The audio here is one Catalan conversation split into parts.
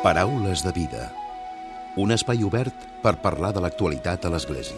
Paraules de vida. Un espai obert per parlar de l'actualitat a l'Església.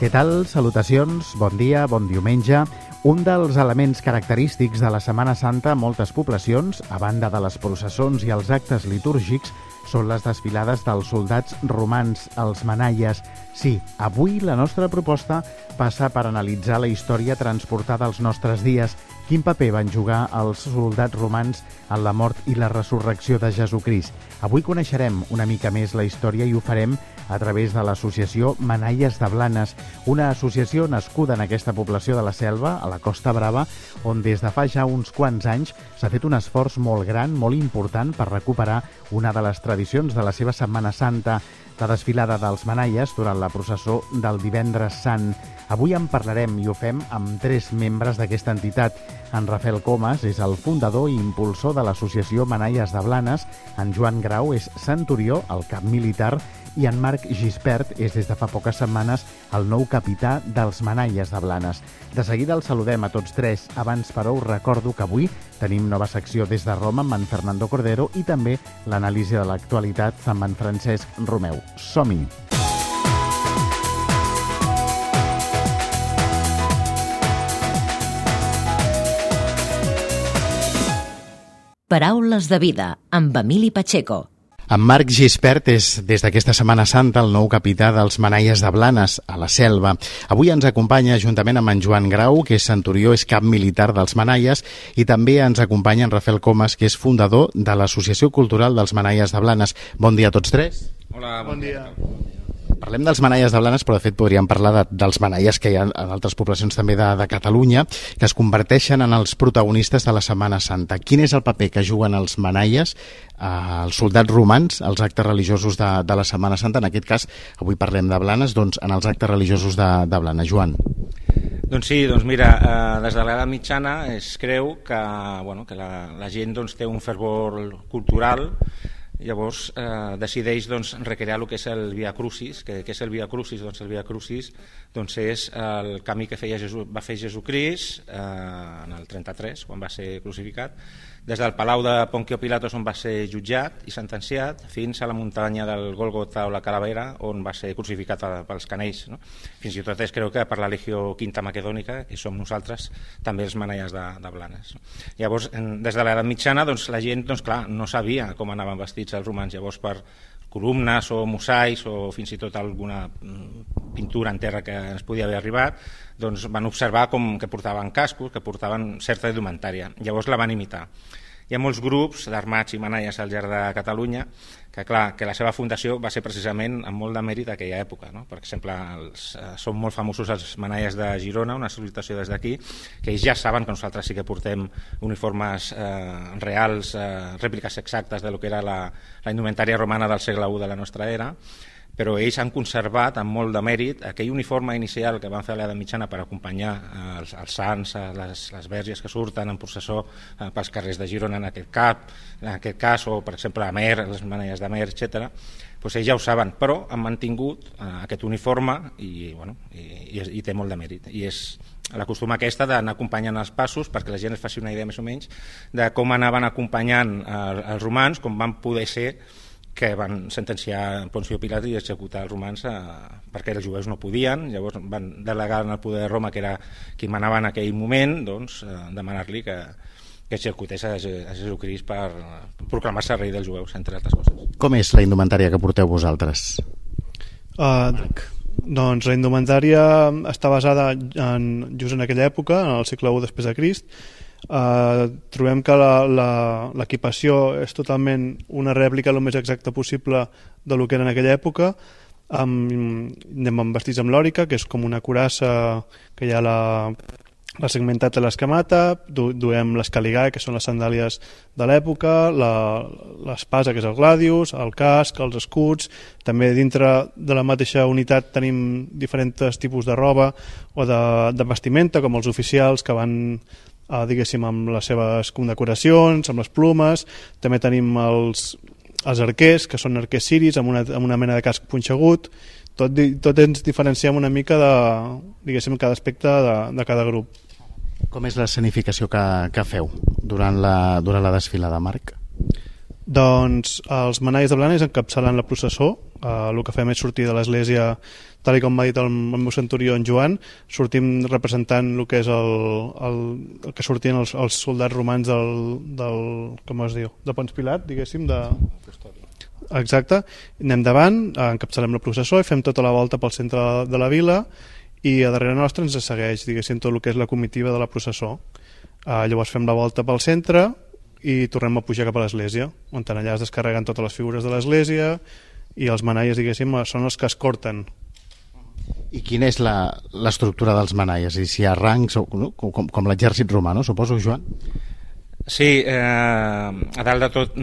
Què tal? Salutacions, bon dia, bon diumenge. Un dels elements característics de la Setmana Santa a moltes poblacions, a banda de les processons i els actes litúrgics, són les desfilades dels soldats romans, els manaies. Sí, avui la nostra proposta passa per analitzar la història transportada als nostres dies. Quin paper van jugar els soldats romans en la mort i la resurrecció de Jesucrist? Avui coneixerem una mica més la història i ho farem a través de l'associació Manaies de Blanes, una associació nascuda en aquesta població de la Selva, a la Costa Brava, on des de fa ja uns quants anys s'ha fet un esforç molt gran, molt important, per recuperar una de les tradicions de la seva Setmana Santa, la desfilada dels manaies durant la processó del Divendres Sant. Avui en parlarem i ho fem amb 3 membres d'aquesta entitat. En Rafael Comas és el fundador i impulsor de l'associació Manaies de Blanes, en Joan Grau és centurió, el cap militar, i en Marc Gispert és des de fa poques setmanes el nou capità dels Manaies de Blanes. De seguida els saludem a tots 3. Abans, però, us recordo que avui tenim nova secció des de Roma amb en Fernando Cordero i també l'anàlisi de l'actualitat amb en Francesc Romeu. Som-hi! Paraules de vida, amb Emili Pacheco. En Marc Gispert és, des d'aquesta Setmana Santa, el nou capità dels Manaies de Blanes, a la Selva. Avui ens acompanya, juntament amb en Joan Grau, que és centurió, és cap militar dels Manaies, i també ens acompanya en Rafael Comas, que és fundador de l'Associació Cultural dels Manaies de Blanes. Bon dia a tots 3. Hola, bon dia. Parlem dels Manaies de Blanes, però de fet podríem parlar dels Manaies que hi ha en altres poblacions també de Catalunya, que es converteixen en els protagonistes de la Setmana Santa. Quin és el paper que juguen els Manaies, els soldats romans, als actes religiosos de la Setmana Santa? En aquest cas, avui parlem de Blanes, doncs en els actes religiosos de Blanes. Joan. Doncs sí, doncs mira, des de l'edat mitjana es creu que la gent té un fervor cultural. Llavors decideix recrear el que és el Via Crucis. Què és el Via Crucis? Doncs el Via Crucis és el camí que va fer Jesucrist en el 33, quan va ser crucificat, des del palau de Poncio Pilatos, on va ser jutjat i sentenciat, fins a la muntanya del Gòlgota o la Calavera, on va ser crucificat pels canells. No? Fins i tot es creu que per la Legió Quinta Macedònica, que som nosaltres, també els Manaies de Blanes. Llavors, des de l'edat mitjana, la gent no sabia com anaven vestits els romans. Llavors, per columnes o mosaics o fins i tot alguna pintura en terra que ens podia haver arribat, van observar que portaven cascos, que portaven certa indumentària. Llavors la van imitar. Hi ha molts grups d'armats i manaies al llarg de Catalunya que la seva fundació va ser precisament amb molt de mèrit d'aquella època. No? Per exemple, són molt famosos els manaies de Girona, una salutació des d'aquí, que ells ja saben que nosaltres sí que portem uniformes reals, rèpliques exactes de lo que era la indumentària romana del segle I de la nostra era, però ells han conservat amb molt de mèrit aquell uniforme inicial que van fer a l'edat mitjana per acompanyar els sants, les verges que surten en processó pels carrers de Girona en aquest cas, o per exemple a Mer, les manaies de Mer, etc. Ells ja ho saben, però han mantingut aquest uniforme i té molt de mèrit. I és la costum aquesta d'anar acompanyant els passos perquè la gent es faci una idea més o menys de com anaven acompanyant els romans, com van poder ser que van sentenciar Poncio Pilatos i executar els romans perquè els jueus no podien. Llavors van delegar en el poder de Roma, que era qui manava en aquell moment, demanar-li que executés a Jesucrist per proclamar-se rei dels jueus, entre altres coses. Com és la indumentària que porteu vosaltres? Doncs la indumentària està basada just en aquella època, en el segle I després de Crist. Trobem que l'equipació és totalment una rèplica el més exacta possible de lo que era en aquella època. Anem vestits amb lòrica, que és com una curassa que hi ha la segmentat de l'escamata, duem les caligae, que són les sandàlies de l'època, l'espasa, que és el gladius, el casc, els escuts. També dintre de la mateixa unitat tenim diferents tipus de roba o de vestimenta, com els oficials que van diguéssim amb les seves condecoracions, amb les plumes. També tenim els arquers, que són arquers siris amb una mena de casc punxegut. tot ens diferenciem una mica de, diguéssim, cada aspecte de cada grup. Com és l'escenificació que feu durant la desfilada, Marc? Doncs els manalles de Blanes encapçalen la processó. El que fem és sortir de l'església, tal com m'ha dit el meu centurió en Joan, sortim representant el que és el que sortien els soldats romans del com es diu, de Pons Pilat, diguéssim, exacte. Anem davant, encapçalem la processó i fem tota la volta pel centre de la vila, i a darrere nostre ens segueix, diguéssim, tot el que és la comitiva de la processó. Llavors fem la volta pel centre i tornem a pujar cap a l'església, on allà es descarreguen totes les figures de l'església i els manalles, diguéssim, són els que es corten. I quina és l'estructura dels manalles? I si hi ha rangs, com l'exèrcit romà, no? Suposo, Joan? Sí, a dalt de tot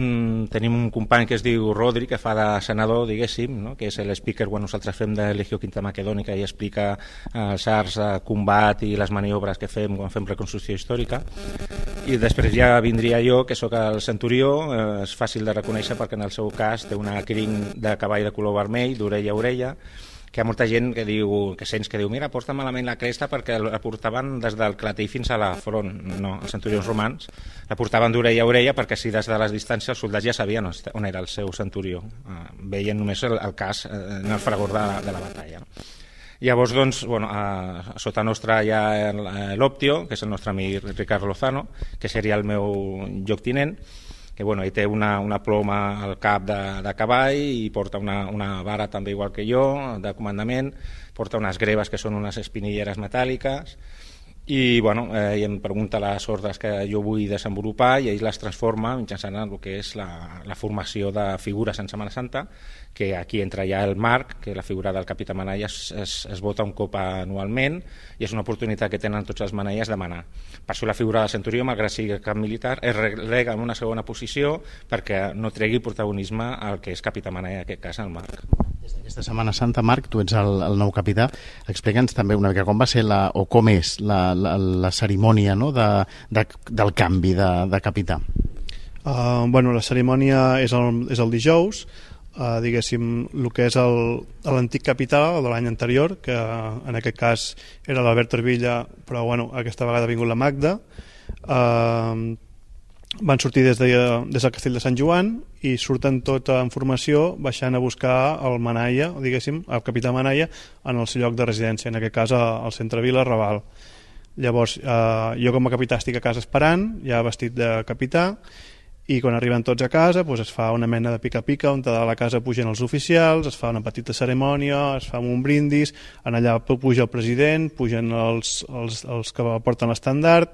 tenim un company que es diu Rodri, que fa de senador, diguéssim, no? Que és l'speaker quan nosaltres fem de Legió Quinta Macedònica i explica els arts de combat i les maniobres que fem quan fem reconstrucció històrica. I després ja vindria jo, que sóc el centurió. És fàcil de reconèixer perquè en el seu cas té una crin de cavall de color vermell, d'orella a orella, que hi ha molta gent que sents que diu mira, porta malament la cresta perquè la portaven des del clatell fins a la front. No, els centurions romans la portaven d'orella a orella perquè així des de les distàncies els soldats ja sabien on era el seu centurió. Veien només el cas en el fragor de la batalla. Llavors, doncs, sota nostra hi ha l'Optio, que és el nostre amic Ricard Lozano, que seria el meu lloctinent, que ell té una ploma al cap de cavall i porta una vara també igual que jo, de comandament, porta unes greves que són unes espinilleres metàl·liques i em pregunta les ordres que jo vull desenvolupar i ell les transforma mitjançant el que és la formació de figures en Setmana Santa, que aquí entra ja el Marc, que la figura del capità Manalla es vota un cop anualment i és una oportunitat que tenen tots els manalles de manar. Per això la figura del centurió, malgrat sigui cap militar, es relega en una segona posició perquè no tregui protagonisme al que és capità Manalla, en aquest cas el Marc. Des d'aquesta Setmana Santa, Marc, tu ets el nou capità. Explica'ns també una mica com va ser o com és la cerimònia, no? del canvi de capità. La cerimònia és el dijous. Diguéssim, el que és l'antic capità de l'any anterior, que en aquest cas era l'Albert Orvilla, però aquesta vegada ha vingut la Magda. Van sortir des del castell de Sant Joan i surten tota en formació baixant a buscar el Manalla, diguéssim, el capità Manalla, en el seu lloc de residència, en aquest cas al centre Vila, Raval. Llavors, jo com a capità estic a casa esperant, ja vestit de capità, i quan arriben tots a casa es fa una mena de pica-pica on de la casa pugen els oficials, es fa una petita cerimònia, es fa un brindis, en allà puja el president, pugen els que porten l'estandard,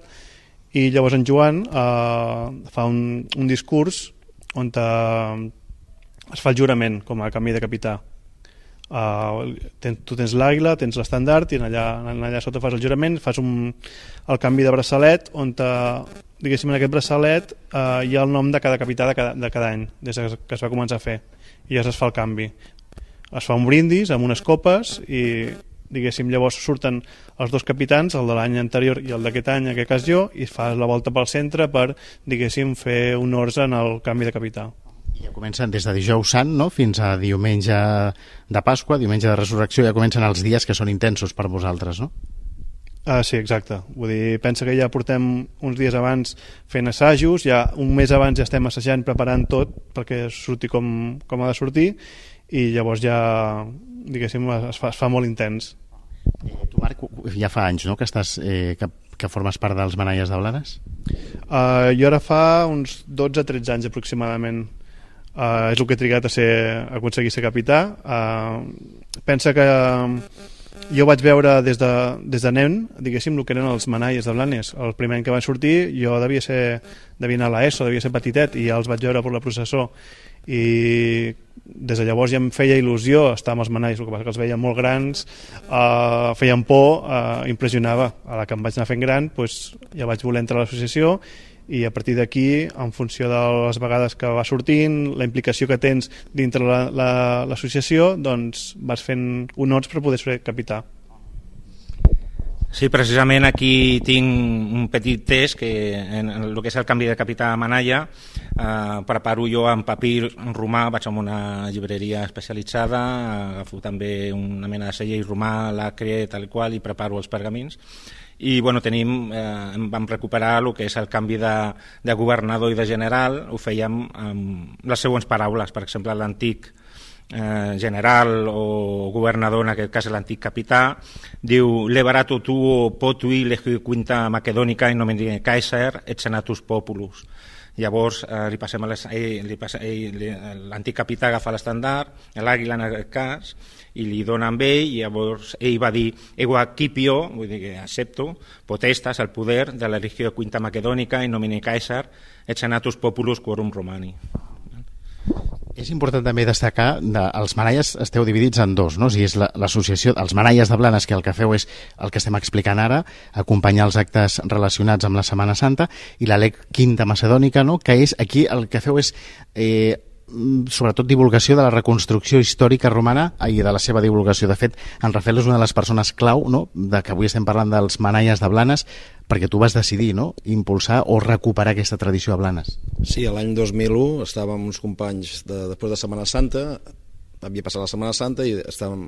i llavors en Joan fa un discurs on es fa el jurament com a canvi de capità. Tu tens l'àguila, tens l'estandard i allà sota fas el jurament, fas el canvi de braçalet on diguéssim en aquest braçalet hi ha el nom de cada capità de cada any des que es va començar a fer i ja es fa el canvi, es fa un brindis amb unes copes i diguéssim llavors surten els dos capitans, el de l'any anterior i el d'aquest any, en aquest cas jo, i fas la volta pel centre per diguéssim fer honors en el canvi de capità. I ja comencen des de dijous sant, no?, fins a diumenge de Pasqua, diumenge de Resurrecció, ja comencen els dies que són intensos per vosaltres, no? Sí, exacte. Vull dir, pensa que ja portem uns dies abans fent assajos, ja un mes abans ja estem assajant, preparant tot perquè surti com ha de sortir, i llavors ja, diguéssim, es fa molt intens. Tu, Marc, ja fa anys, no?, que estàs que formes part dels Manalles de Blanes? Jo ara fa uns 12-13 anys aproximadament. És el que he trigat a aconseguir ser capità. Pensa que jo vaig veure des de nen, diguéssim, el que eren els Manalles de Blanes. El primer any que van sortir jo devia anar a l'ESO, devia ser petitet, i ja els vaig veure per la processó, i des de llavors ja em feia il·lusió estar amb els Manalles, el que passa que els veia molt grans, feien por, impressionava. A la que em vaig anar fent gran ja vaig voler entrar a l'associació, i a partir d'aquí, en funció de les vegades que va sortint, la implicació que tens dintre l'associació, doncs vas fent honors per poder ser capità. Sí, precisament aquí tinc un petit test que en el que és el canvi de capità a Manalla preparo jo en papir romà, vaig a una llibreria especialitzada, agafo també una mena de segell romà, l'acre, tal qual, i preparo els pergamins. I bueno, vam recuperar el que és el canvi de governador i de general, ho fèiem amb les següents paraules, per exemple, l'antic general o governador, en aquest cas l'antic capità, diu «Lebarato tuo potui legio quinta macedònica in nomine Caesar et senatus populus». Llavors li passem l'antic capità agafa l'estandard, l'àguila en aquest cas, i li dona amb ell, i llavors ell va dir «Ego acipio», vull dir que accepto, potestas, el poder de la legio quinta macedònica in nomine Caesar et senatus populus quorum romani. És important també destacar que els manalles esteu dividits en dos, no? O sigui, és l'associació, els manalles de Blanes, que el que feu és el que estem explicant ara, acompanyar els actes relacionats amb la Setmana Santa, i la LEC Quinta Macedònica, no? Que és aquí el que feu és sobretot divulgació de la reconstrucció històrica romana i de la seva divulgació. De fet, en Rafael és una de les persones clau, no?, de que avui estem parlant dels manalles de Blanes, perquè tu vas decidir, no?, impulsar o recuperar aquesta tradició a Blanes. Sí, l'any 2001 estàvem uns companys després de Setmana Santa, havia passat la Setmana Santa i estàvem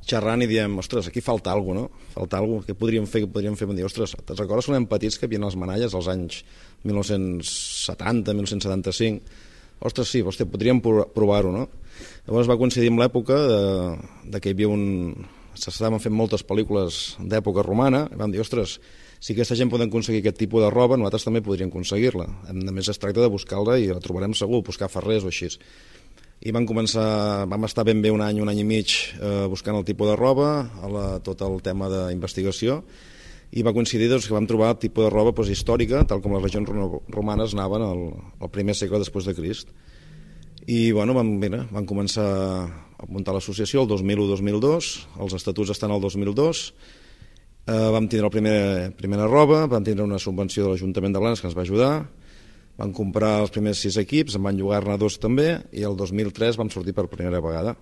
xerrant i diem, ostres, aquí falta alguna cosa, no? Falta alguna cosa, què podríem fer? Vam dir, ostres, te'n recordes quan érem petits que hi havia les manalles als anys 1970, 1975? Ostres, sí, hòstia, podríem provar-ho, no? Llavors va coincidir amb l'època de que hi havia s'estaven fent moltes pel·lícules d'època romana, i vam dir, ostres, si aquesta gent poden aconseguir aquest tipus de roba, nosaltres també podríem aconseguir-la. A més, es tracta de buscar-la i la trobarem segur, buscar ferrers o així. I vam estar ben bé un any i mig buscant el tipus de roba, tot el tema d'investigació, i va coincidir que vam trobar el tipus de roba històrica, tal com les legions romanes anaven al primer segle després de Crist. I bueno, vam començar a muntar l'associació el 2001-2002, els estatuts estan al 2002, vam tindre la primera roba, vam tindre una subvenció de l'Ajuntament de Blanes que ens va ajudar, vam comprar els primers 6 equips, en van llogar-ne 2 també, i el 2003 vam sortir per primera vegada.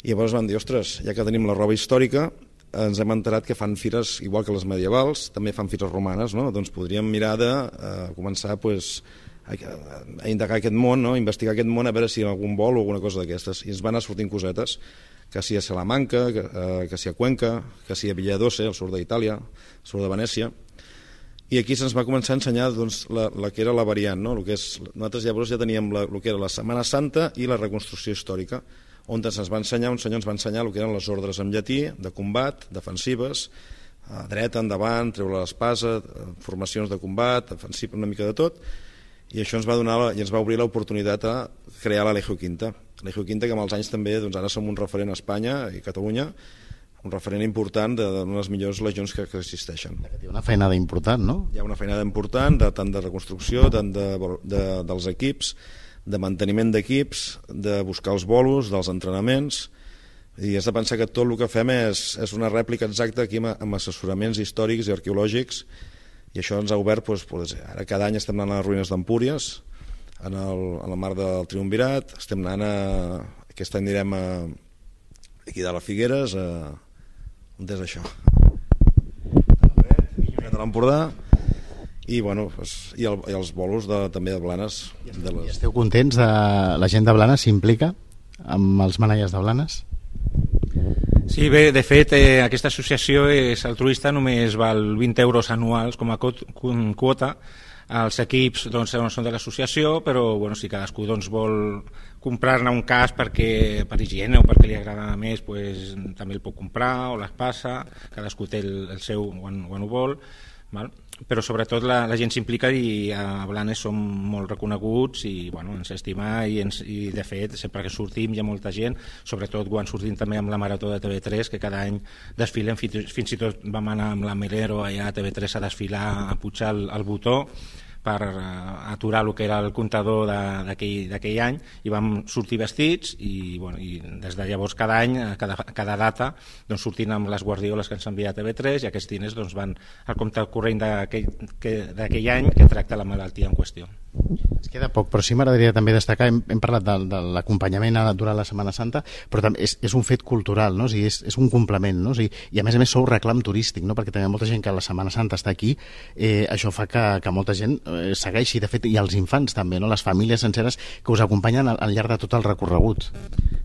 I llavors vam dir, ostres, ja que tenim la roba històrica, ens hem enterat que fan fires, igual que les medievals, també fan fires romanes, no? Doncs podríem mirar de començar a indagar aquest món, no? Investigar aquest món, a veure si hi ha algun vol o alguna cosa d'aquestes. I ens van anar sortint cosetes, que si a Salamanca, que si a Cuenca, que si a Villadoce, al sud d'Itàlia, al sud de Venècia. I aquí se'ns va començar a ensenyar la que era la variant, no? Nosaltres llavors ja teníem el que era la Setmana Santa i la reconstrucció històrica, on ens va ensenyar el que eren les ordres en llatí, de combat, defensives, dreta, endavant, treure l'espasa, formacions de combat, defensiva, una mica de tot, i això ens va obrir l'oportunitat a crear la Legio Quinta. La Legio Quinta, que amb els anys també, ara som un referent a Espanya i a Catalunya, un referent important d'una de les millors legions que existeixen. Hi ha una feinada important, no? Hi ha una feinada important, tant de reconstrucció, tant dels equips, de manteniment d'equips, de buscar els bolos, dels entrenaments, i has de pensar que tot el que fem és una rèplica exacta aquí amb assessoraments històrics i arqueològics, i això ens ha obert, ara cada any estem anant a les ruïnes d'Empúries, a la mar del Triumvirat, estem anant aquest any anirem aquí de les Figueres, on és això? De l'Empordà, i els bolos també de Blanes. I esteu contents la gent de Blanes s'implica amb els manalles de Blanes? Sí, bé, de fet aquesta associació és altruista, només val 20 euros anuals com a quota. Els equips són de l'associació, però si cadascú vol comprar-ne un casc per higiene o perquè li agrada més, també el pot comprar o l'espasa, cadascú té el seu quan ho vol. Però sobretot la gent s'implica, i a Blanes som molt reconeguts i ens estima, i de fet sempre que sortim hi ha molta gent, sobretot quan sortim també amb la Marató de TV3, que cada any desfilem, fins i tot vam anar amb la Melero allà a TV3 a desfilar, a pujar el botó per aturar el que era el comptador d'aquell any, i vam sortir vestits i des de llavors cada any, cada data, doncs sortint amb les guardioles que ens envia TV3, i aquests diners van al compte corrent d'aquell any que tracta la malaltia en qüestió. Ens queda poc, però sí m'agradaria també destacar, hem parlat de l'acompanyament durant la Setmana Santa, però també és un fet cultural, no? O sigui, és un complement, no? O sigui, i a més sou reclam turístic, no? Perquè també hi ha molta gent que la Setmana Santa està aquí, això fa que molta gent segueixi, de fet, i els infants també, no? Les famílies senceres que us acompanyen al llarg de tot el recorregut.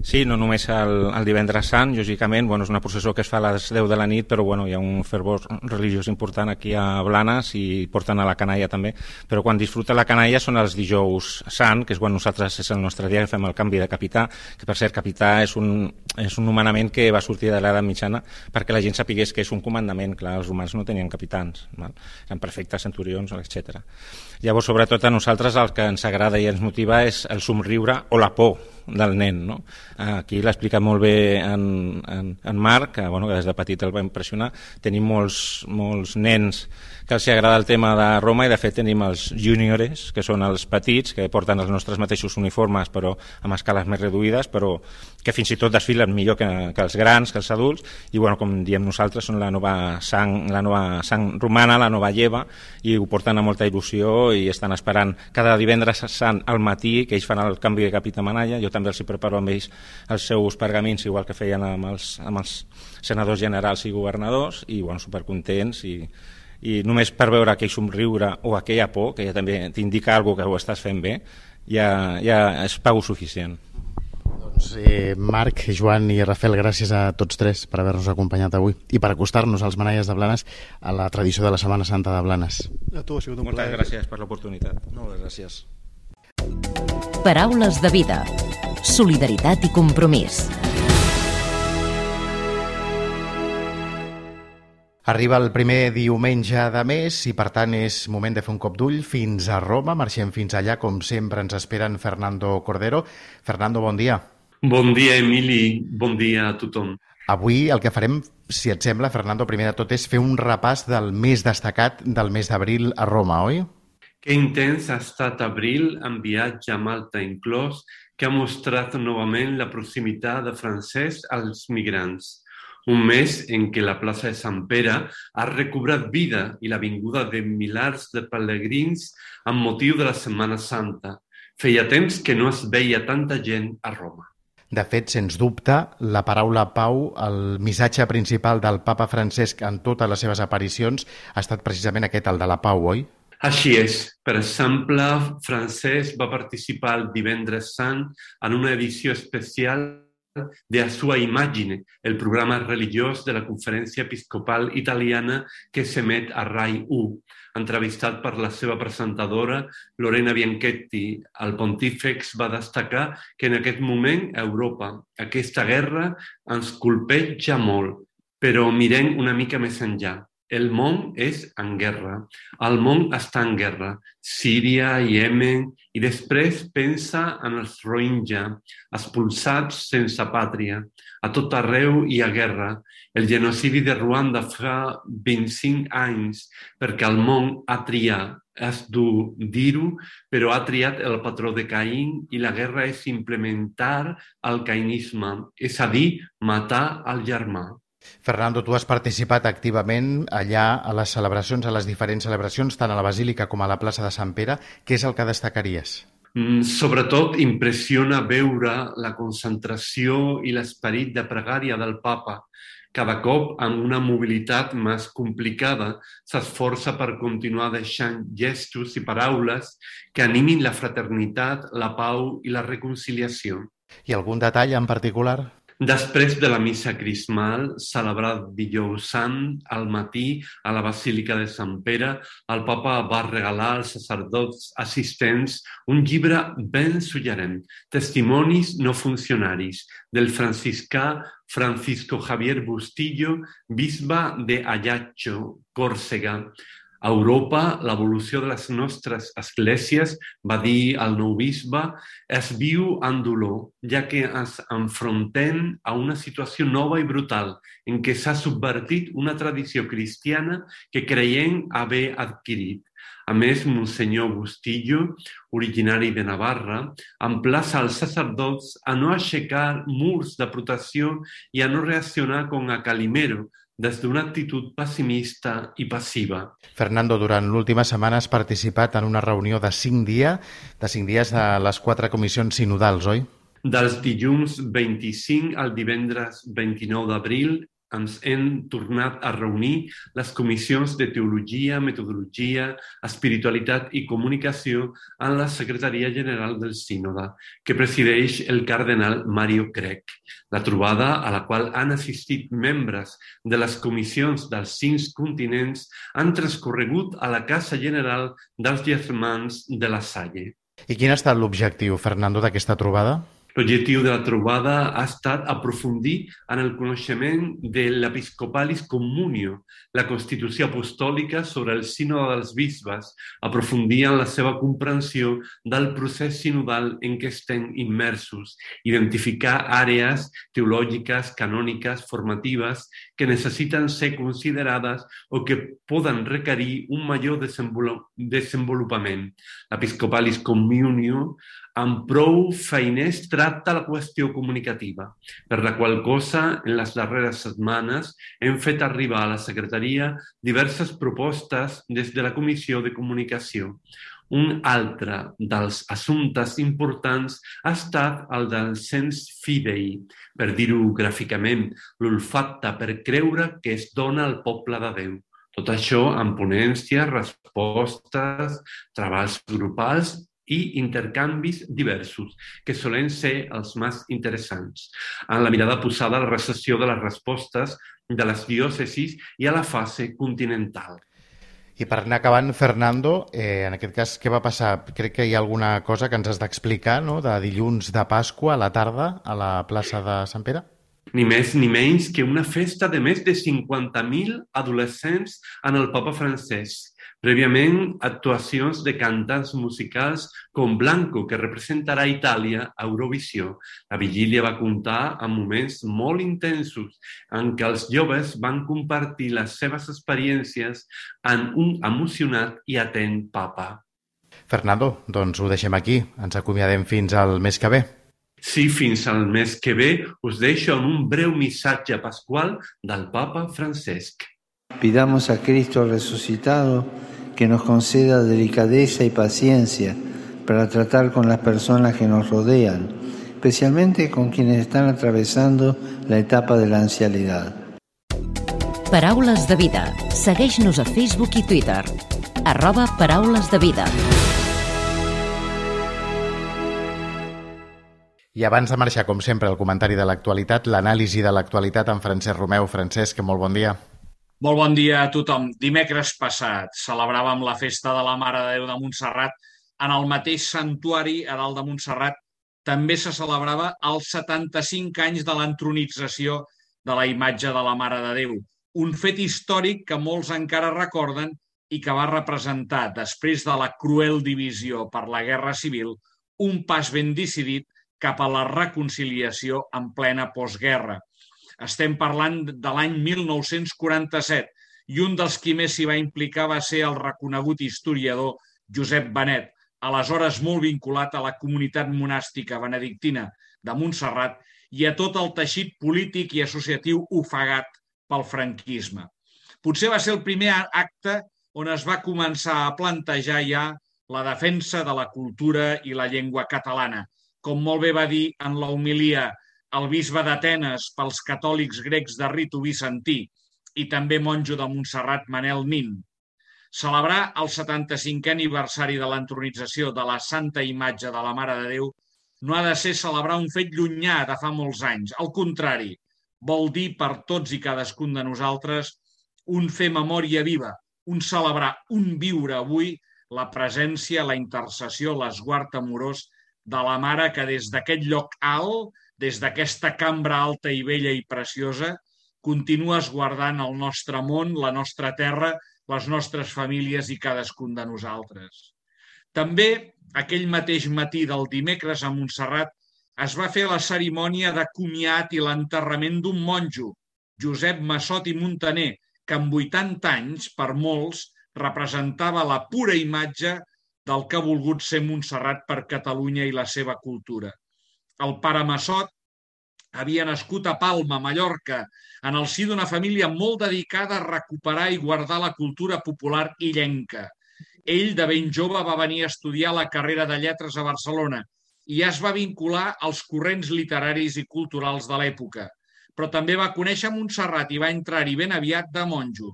Sí, no només el divendres sant, lògicament, és una processó que es fa a les 10 de la nit, però hi ha un fervor religiós important aquí a Blanes i porten a la canalla també, però quan disfruta la canalla són els dijous sant, que és quan nosaltres és el nostre dia que fem el canvi de capità, que per cert capità és un nomenament que va sortir de l'edat mitjana perquè la gent sapigués que és un comandament. Clar, els romans no tenien capitans, eren perfectes centurions, etc. Llavors, sobretot a nosaltres el que ens agrada i ens motiva és el somriure o la por del nen, no? Aquí l'explica molt bé en Marc, que des de petit el va impressionar. Tenim molts nens que els agrada el tema de Roma, i de fet tenim els juniores, que són els petits, que porten els nostres mateixos uniformes però amb escales més reduïdes, però que fins i tot desfilen millor que els grans, que els adults, i com diem nosaltres, són la nova sang romana, la nova lleva, i ho porten amb molta il·lusió i estan esperant cada divendres sant al matí, que ells fan el canvi de capità manalla. Jo també els preparo amb ells els seus pergamins, igual que feien amb els senadors generals i governadors, i supercontents, i només per veure aquell somriure o aquella por, que ja també t'indica alguna cosa que ho estàs fent bé, ja és pau suficient. Doncs Marc, Joan i Rafael, gràcies a tots tres per haver-nos acompanyat avui i per acostar-nos als manalles de Blanes a la tradició de la Setmana Santa de Blanes. A tu ha sigut un plaer. Moltes gràcies per l'oportunitat. Moltes gràcies. Paraules de vida. Solidaritat i compromís. Arriba el primer diumenge de mes i, per tant, és moment de fer un cop d'ull fins a Roma. Marxem fins allà, com sempre ens esperen Fernando Cordero. Fernando, bon dia. Bon dia, Emili. Bon dia a tothom. Avui el que farem, si et sembla, Fernando, primer de tot és fer un repàs del més destacat del mes d'abril a Roma, oi? Que intens ha estat abril, amb viatge a Malta inclòs, que ha mostrat novament la proximitat de Francesc als migrants. Un mes en què la plaça de Sant Pere ha recobrat vida i la vinguda de milers de pelegrins amb motiu de la Setmana Santa. Feia temps que no es veia tanta gent a Roma. De fet, sens dubte, la paraula pau, el missatge principal del papa Francesc en totes les seves aparicions ha estat precisament aquest, el de la pau, oi? Així és. Per exemple, Francesc va participar el divendres sant en una edició especial de A Sua Immagine, el programa religiós de la Conferència Episcopal Italiana que s'emet a Rai 1. Entrevistat per la seva presentadora, Lorena Bianchetti, el pontífex va destacar que en aquest moment a Europa aquesta guerra ens colpeja molt, però mirem una mica més enllà. El món és en guerra. El món està en guerra. Síria, Iemen, i després pensa en els Rohingya, expulsats sense pàtria. A tot arreu hi ha guerra. El genocidi de Ruanda fa 25 anys perquè el món ha triat. És dur dir-ho, però ha triat el patró de Caín i la guerra és implementar el caïnisme, és a dir, matar el germà. Fernando, tu has participat activament allà a les celebracions, a les diferents celebracions, tant a la Basílica com a la plaça de Sant Pere. Què és el que destacaries? Sobretot impressiona veure la concentració i l'esperit de pregària del papa. Cada cop, amb una mobilitat més complicada, s'esforça per continuar deixant gestos i paraules que animin la fraternitat, la pau i la reconciliació. I algun detall en particular? Després de la missa crismal, celebrada dijous sant, al matí, a la Basílica de Sant Pere, el papa va regalar als sacerdots assistents un llibre ben suggerent, Testimonis no funcionaris, del franciscà Francisco Javier Bustillo, bisbe de Ajaccio, Còrsega. A Europa, l'evolució de les nostres esglésies, va dir el nou bisbe, es viu amb dolor, ja que ens enfrontem a una situació nova i brutal en què s'ha subvertit una tradició cristiana que creiem haver adquirit. A més, Monsenyor Bustillo, originari de Navarra, emplaça els sacerdots a no aixecar murs de protecció i a no reaccionar com a Calimero, des d'una actitud pessimista i passiva. Fernando, durant l'última setmana has participat en una reunió de 5 dies de les 4 comissions sinodals, oi? Dels dilluns 25 al divendres 29 d'abril ens hem tornat a reunir les comissions de Teologia, Metodologia, Espiritualitat i Comunicació en la Secretaria General del Sínode, que presideix el cardenal Mario Craig. La trobada, a la qual han assistit membres de les comissions dels 5 continents, han transcorregut a la Casa General dels Germans de la Salle. I quin ha estat l'objectiu, Fernando, d'aquesta trobada? L'objectiu de la trobada ha estat aprofundir en el coneixement de l'Episcopalis Communio, la Constitució Apostòlica sobre el Sínode dels Bisbes, aprofundir en la seva comprensió del procés sinodal en què estem immersos, identificar àrees teològiques, canòniques, formatives que necessiten ser considerades o que poden requerir un major desenvolupament. L'Episcopalis Communio amb prou feiners tracta la qüestió comunicativa, per la qual cosa, en les darreres setmanes, hem fet arribar a la Secretaria diverses propostes des de la Comissió de Comunicació. Un altre dels assumptes importants ha estat el del sens fidei, per dir-ho gràficament, l'olfacte per creure que es dona al poble de Déu. Tot això amb ponències, respostes, treballs grupals i intercanvis diversos, que solen ser els més interessants, en la mirada posada a la recepció de les respostes de les diòcesis i a la fase continental. I per anar acabant, Fernando, en aquest cas, què va passar? Crec que hi ha alguna cosa que ens has d'explicar, no?, de dilluns de Pasqua a la tarda a la plaça de Sant Pere? Ni més ni menys que una festa de més de 50.000 adolescents en el Papa Francesc. Prèviament, actuacions de cantants musicals com Blanco, que representarà Itàlia a Eurovisió. La vigília va comptar amb moments molt intensos en què els joves van compartir les seves experiències en un emocionat i atent papa. Fernando, doncs ho deixem aquí. Ens acomiadem fins al mes que ve. Sí, fins al mes que ve us deixo amb un breu missatge pasqual del Papa Francesc. Pidamos a Cristo resucitado que nos conceda delicadeza y paciencia para tratar con las personas que nos rodean, especialmente con quienes están atravesando la etapa de la ancianidad. Paraules de vida. Segueix-nos a Facebook i Twitter. @Paraules de vida. I abans de marxar, com sempre, el comentari de l'actualitat, l'anàlisi de l'actualitat amb Francesc Romeu. Francesc, molt bon dia. Molt bon dia a tothom. Dimecres passat celebràvem la festa de la Mare de Déu de Montserrat. En el mateix santuari, a dalt de Montserrat, també se celebrava els 75 anys de l'entronització de la imatge de la Mare de Déu. Un fet històric que molts encara recorden i que va representar, després de la cruel divisió per la Guerra Civil, un pas ben decidit cap a la reconciliació en plena postguerra. Estem parlant de l'any 1947 i un dels qui més s'hi va implicar va ser el reconegut historiador Josep Benet, aleshores molt vinculat a la comunitat monàstica benedictina de Montserrat i a tot el teixit polític i associatiu ofegat pel franquisme. Potser va ser el primer acte on es va començar a plantejar ja la defensa de la cultura i la llengua catalana. Com molt bé va dir en la homilia el bisbe d'Atenes pels catòlics grecs de ritu bizantí i també monjo de Montserrat Manel Nin. Celebrar el 75è aniversari de l'entronització de la santa imatge de la Mare de Déu no ha de ser celebrar un fet llunyà de fa molts anys. Al contrari, vol dir per tots i cadascun de nosaltres un fer memòria viva, un celebrar, un viure avui la presència, la intercessió, l'esguard amorós de la Mare que des d'aquest lloc alt, des d'aquesta cambra alta i bella i preciosa, continua esguardant el nostre món, la nostra terra, les nostres famílies i cadascun de nosaltres. També, aquell mateix matí del dimecres a Montserrat, es va fer la cerimònia de comiat i l'enterrament d'un monjo, Josep Massot i Muntaner, que amb 80 anys, per molts, representava la pura imatge del que ha volgut ser Montserrat per Catalunya i la seva cultura. El pare Massot havia nascut a Palma, Mallorca, en el si d'una família molt dedicada a recuperar i guardar la cultura popular illenca. Ell, de ben jove, va venir a estudiar la carrera de lletres a Barcelona i ja es va vincular als corrents literaris i culturals de l'època. Però també va conèixer Montserrat i va entrar-hi ben aviat de monjo.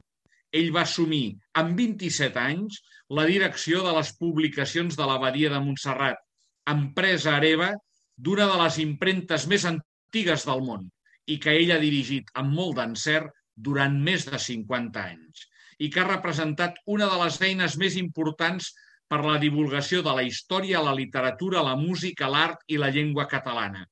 Ell va assumir, amb 27 anys, la direcció de les publicacions de l'Abadia de Montserrat, empresa hereva d'una de les impremtes més antigues del món i que ell ha dirigit amb molt d'encert durant més de 50 anys i que ha representat una de les eines més importants per la divulgació de la història, la literatura, la música, l'art i la llengua catalana.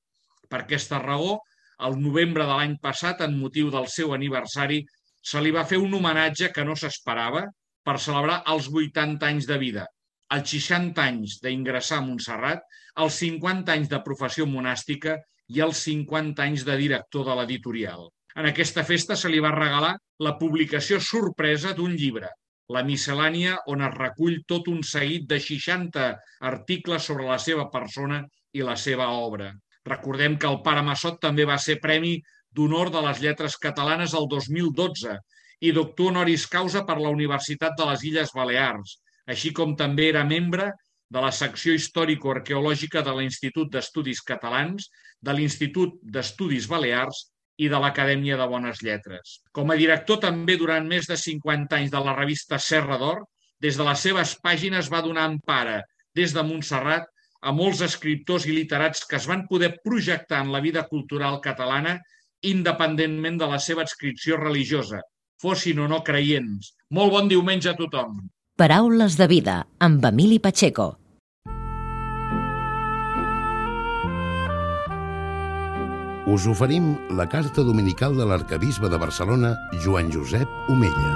Per aquesta raó, al novembre de l'any passat, en motiu del seu aniversari, se li va fer un homenatge que no s'esperava per celebrar els 80 anys de vida, els 60 anys d'ingressar a Montserrat, els 50 anys de professió monàstica i els 50 anys de director de l'editorial. En aquesta festa se li va regalar la publicació sorpresa d'un llibre, la miscel·lània, on es recull tot un seguit de 60 articles sobre la seva persona i la seva obra. Recordem que el pare Massot també va ser Premi d'Honor de les Lletres Catalanes el 2012 i doctor honoris causa per la Universitat de les Illes Balears, així com també era membre de la secció històrico-arqueològica de l'Institut d'Estudis Catalans, de l'Institut d'Estudis Balears i de l'Acadèmia de Bones Lletres. Com a director també durant més de 50 anys de la revista Serra d'Or, des de les seves pàgines va donar empara des de Montserrat a molts escriptors i literats que es van poder projectar en la vida cultural catalana independentment de la seva adscripció religiosa, fossin o no creients. Molt bon diumenge a tothom. Paraules de vida, amb Emili Pacheco. Us oferim la carta dominical de l'arcabisbe de Barcelona, Joan Josep Omella.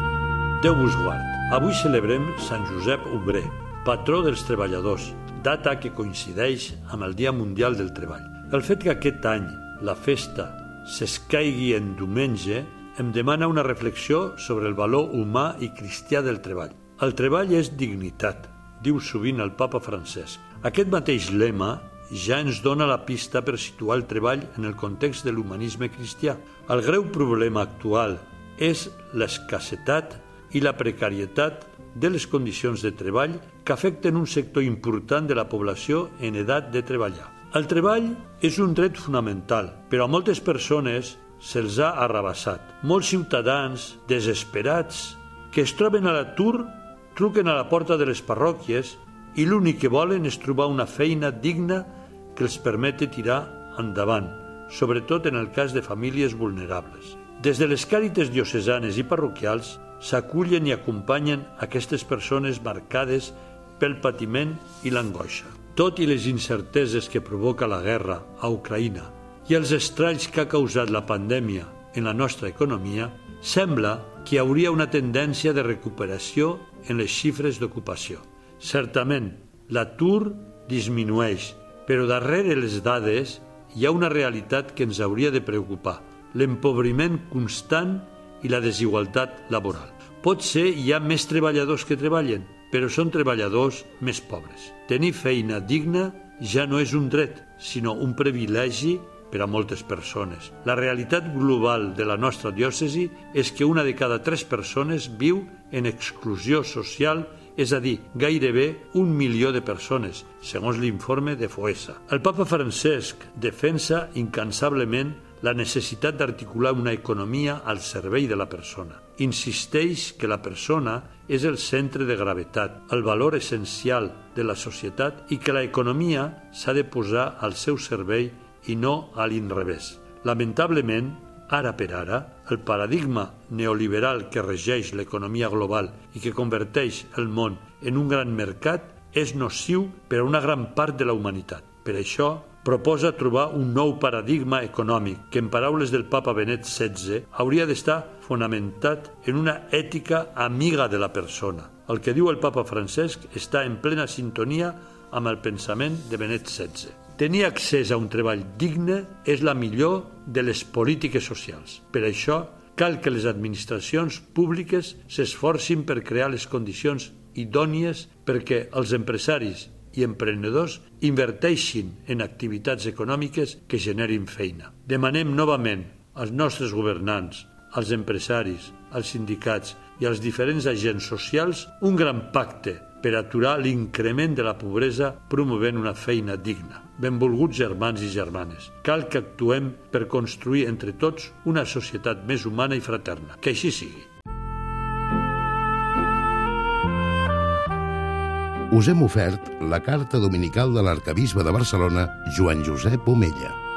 Déu vos guard. Avui celebrem Sant Josep Obrer, patró dels treballadors, data que coincideix amb el Dia Mundial del Treball. El fet que aquest any la festa s'escaigui en diumenge em demana una reflexió sobre el valor humà i cristià del treball. El treball és dignitat, diu sovint el papa Francesc. Aquest mateix lema ja ens dona la pista per situar el treball en el context de l'humanisme cristià. El greu problema actual és l'escassetat i la precarietat de les condicions de treball que afecten un sector important de la població en edat de treballar. El treball és un dret fonamental, però a moltes persones se'ls ha arrabassat. Molts ciutadans desesperats que es troben a l'atur truquen a la porta de les parròquies i l'únic que volen és trobar una feina digna que els permeti tirar endavant, sobretot en el cas de famílies vulnerables. Des de les càrites diocesanes i parroquials s'acullen i acompanyen aquestes persones marcades pel patiment i l'angoixa. Tot i les incerteses que provoca la guerra a Ucraïna i els estralls que ha causat la pandèmia en la nostra economia, sembla que hi hauria una tendència de recuperació en les xifres d'ocupació. Certament, l'atur disminueix, però darrere les dades hi ha una realitat que ens hauria de preocupar: l'empobriment constant i la desigualtat laboral. Potser hi ha més treballadors que treballen, però són treballadors més pobres. Tenir feina digna ja no és un dret, sinó un privilegi per a moltes persones. La realitat global de la nostra diòcesi és que una de cada 3 persones viu en exclusió social, és a dir, gairebé 1 milió de persones, segons l'informe de FOESA. El papa Francesc defensa incansablement la necessitat d'articular una economia al servei de la persona. Insisteix que la persona és el centre de gravetat, el valor essencial de la societat i que l'economia s'ha de posar al seu servei i no a l'inrevés. Lamentablement, ara per ara, el paradigma neoliberal que regeix l'economia global i que converteix el món en un gran mercat és nociu per a una gran part de la humanitat. Per això, proposa trobar un nou paradigma econòmic que, en paraules del papa Benet XVI, hauria d'estar fonamentat en una ètica amiga de la persona. El que diu el papa Francesc està en plena sintonia amb el pensament de Benet XVI. Tenir accés a un treball digne és la millor de les polítiques socials. Per això, cal que les administracions públiques s'esforcin per crear les condicions idònies perquè els empresaris i emprenedors inverteixin en activitats econòmiques que generin feina. Demanem novament als nostres governants, als empresaris, als sindicats i als diferents agents socials un gran pacte per aturar l'increment de la pobresa promovent una feina digna. Benvolguts germans i germanes, cal que actuem per construir entre tots una societat més humana i fraterna. Que així sigui. Us hem ofert la carta dominical de l'arquebisbe de Barcelona, Joan Josep Omella.